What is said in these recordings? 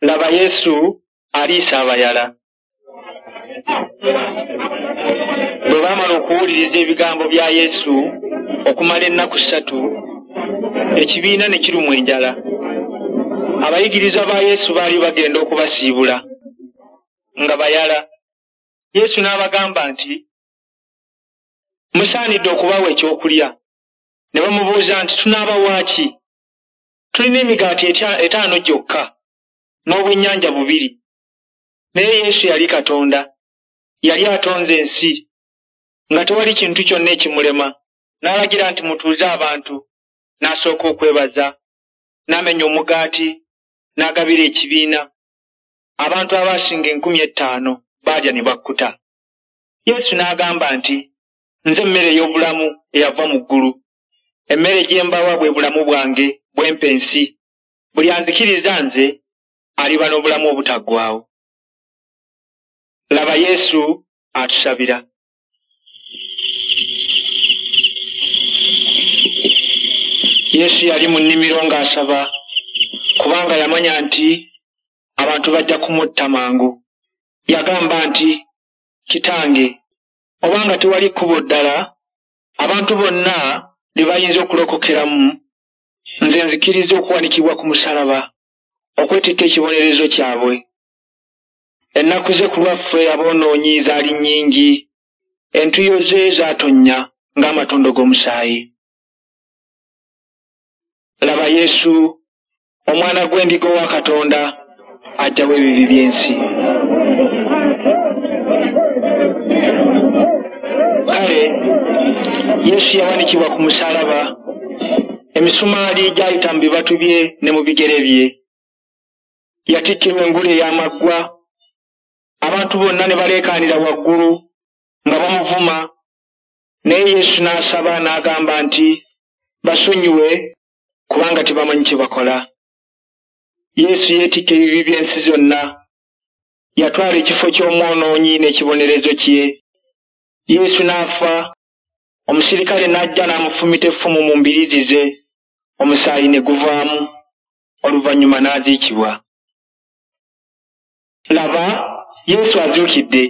Laba Yesu aliisa abayala. Bwe baamala okuwuliriza ebigambo bya Yesu okumala ennaku 3, ekibiina ne kirumwa enjala. Abayigirizwa ba Yesu baali bagenda okubasiibula nga bayala. Yesu n'abagamba nti, Musaanidde okubawa ekyokulya. Ne bamubuuza nti, Tunaabawa ki? Tulina emigaati 5 gyokka n'obwennyanja 2. Naye Yesu yali Katonda. Yali atonze ensi, nga tewali kintu kyonna ekimulema. N'alagira nti, Mutuuze abantu. N'asooka okwebaza, n'amenya omugaati, n'agabira ekibiina. Abantu abaasinga 5,000 baalya ne bakkuta. Yesu n'agamba nti, Nze mmere ey'obulamu eyava mu ggulu. Emmere gye mbawa bwe bulamu bwange bwe mpa ensi. Buli anzikiriza nze aliba n'obulamu obutaggwaawo. Laba Yesu atusabira. Yesu yali mu nnimiro ng'asaba, kubanga yamanya nti abantu bajja kumutta mangu. Yagamba nti, Kitange, obanga tewali kkubo ddala abantu bonna lye bayinza okulokokeramu, nze nzikiriza okuwanikibwa ku musaalaba okwetikka ekibonerezo kyabwe. Ennaku ze ku lwaffe aboonoonyi zaali nnyingi, entuuyo ze zaatonnya ng'amatondo g'omusaayi. Laba Yesu, Omwana gw'endiga owa Katonda, aggyawo ebibi by'ensi. Kale Yesu yawanikibwa ku musaalaba, emisumaali gyayita mu bibatu bye ne mu bigere bye. Yatikkirwa engule ey'amaggwa, abantu bonna ne baleekaanira waggulu nga bamuvuma, naye Yesu n'asaba n'agamba nti, Basonyiwe, kubanga tebamanyi kye bakola. Yesu yeetikka ebibi by'ensi zonna. Yatwala ekifo ky'omwonoonyi n'ekibonerezo kye. Yesu n'afa, omusirikale n'ajja n'amufumita effumu mu mbiriizi ze, omusaayi ne guvaamu, oluvannyuma n'aziikibwa. Laba, Yesu azuukidde!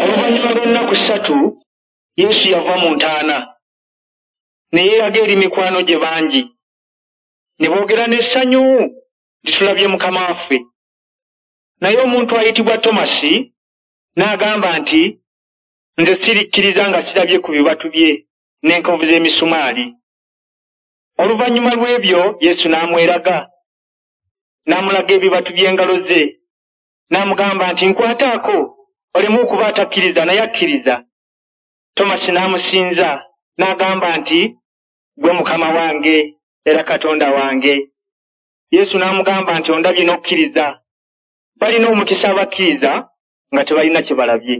Oluvannyuma lw'ennaku 3, Yesu yava mu ntaana, ne yeeraga eri mikwano gye bangi. Ne boogera n'essanyu nti, Tulabye Mukama waffe. Naye omuntu ayitibwa Tomasi n'agamba nti, Nze sirikkiriza nga sirabye ku bibatu bye n'enkovu z'emisumaali. Oluvannyuma lw'ebyo Yesu n'amweraga, n'amulaga ebibatu by'engalo ze, n'amugamba nti, Nkwataako, oleme okuba atakkiriza naye akkiriza. Tomasi n'amusinza, n'agamba nti, Ggwe Mukama wange era Katonda wange. Yesu n'amugamba nti, Ondabye n'okkiriza. Balina omukisa abakkiriza nga tebalina kye balabye.